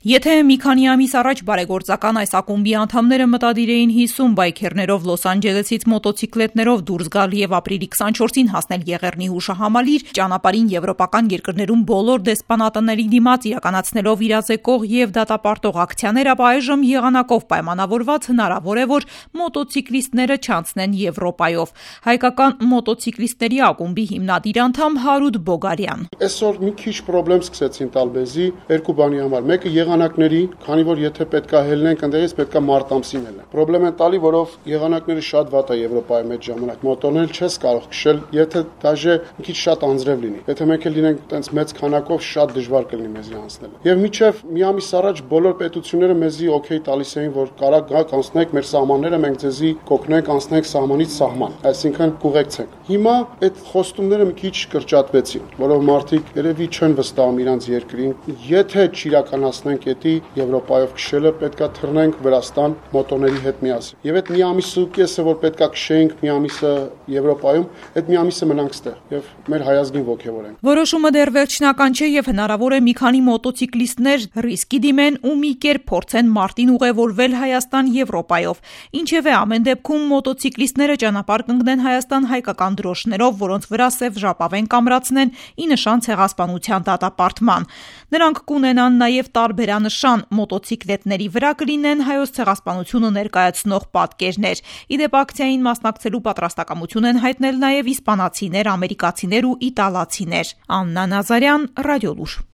Եթե մի քանի ամիս առաջ բարեգործական այս ակումբի անդամները մտադիր էին 50 բայքերներով Լոս Անջելեսից մոտոցիկլետներով դուրս գալ եւ ապրիլի 24-ին հասնել Եղեռնի հուշահամալիր, ճանապարհին եվրոպական երկրներում բոլոր դեսպանատների դիմաց իրականացնելով իրազեկող եւ դատապարտող ակցիաներ, ապա այժմ եղանակով պայմանավորված հնարավոր է, որ մոտոցիկլիստները չանցնեն Եվրոպայով։ Հայկական մոտոցիկլիստների ակումբի հիմնադիր անդամ Հարութ Բոգարյան: Այսօր մի քիչ խնդրեմ սկսեցին տալ մեզի երկու բանի համար։ Մեկը եղանակների, քանի որ եթե պետքա հելնենք այնտեղից պետքա մարտ ամսին հելնենք։ Պրոբլեմ է տալի, որով եղանակները շատ վատ է Եվրոպայի մեջ ժամանակ։ Մոտորն էլ չես կարող քշել, եթե դաժե մի քիչ շատ անձրև լինի։ Եթե մենք էլ լինենք տենց մեծ քանակով, շատ դժվար կլինի մեզի անցնելը։ Եվ մինչև մի ամիս առաջ բոլոր պետությունները մեզի օքեյ տալիս էին, որ կարա գաք անցնեք մեր սահմանները, մենք ձեզի կօգնենք անցնենք սահմանից սահման, այսինքն կուղեկցենք։ Հիմա այդ խոստումները մի քիչ կրճատվեցին, որով մարդիկ երևի չեն վստահում իրանց երկրին։ Եթե չիրականացնենք էդի Եվրոպայով քշելը, պետքա թռնենք Վրաստան մոտորների հետ միասին։ Եվ այդ մի ամիսը կեսը, որ պետքա քշեինք մի ամիսը Եվրոպայում, այդ մի ամիսը մնանք ստեղ եւ մեր հայազգին ողջևորենք։ Որոշումը դեռ վերջնական չէ եւ հնարավոր է մի քանի մոտոցիկլիստներ ռիսկի դիմեն ու մի կերպ փորձեն մարտին ուղևորվել Հայաստան-Եվրոպայով։ Ինչևէ, ամեն դեպքում մոտոցիկլիստները ճանապարհ կընկնեն Հայաստան հայկական դրոշներով, որոնց վրա սև ժապավեն կամրացնեն ի նշան ցեղասպանության դատապարտման։ Նրանք կունենան նաև տարբերանշան, մոտոցիկլետների վրա կլինեն հայոց ցեղասպանությունը ներկայացնող պատկերներ։ Ի դեպ, ակցիային մասնակցելու պատրաստակամություն են հայտնել նաև իսպանացիներ, ամերիկացիներ ու իտալացիներ։ Աննա Նազարյան, Ռադիոլուր։